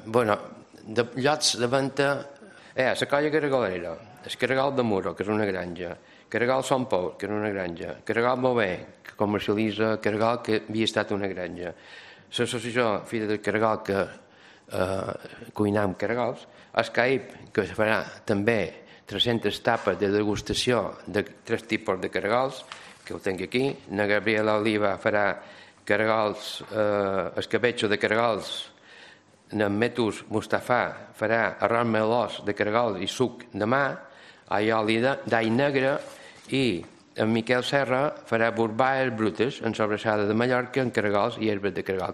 Bueno, de llocs de venda... la Colla Caragalera, el Caragal de Muro, que és una granja, Caragal Sant Pau, que és una granja, Caragal Bové, que comercialitza Caragal, que havia estat una granja, l'associació Fira del Caragal, que cuinam Caragals, el CAIP, que farà també 300 tapes de degustació de 3 tipus de Caragals, que ho tinc aquí, na Gabriela Oliva farà Caragals, escabetxo de Caragals, en Metus Mustafà farà arròs melós de Caragol i suc de mà, oli d'all negre, i en Miquel Serra farà borbaes brutes en sobrassada de Mallorca, en caragols i herbes de Caragol.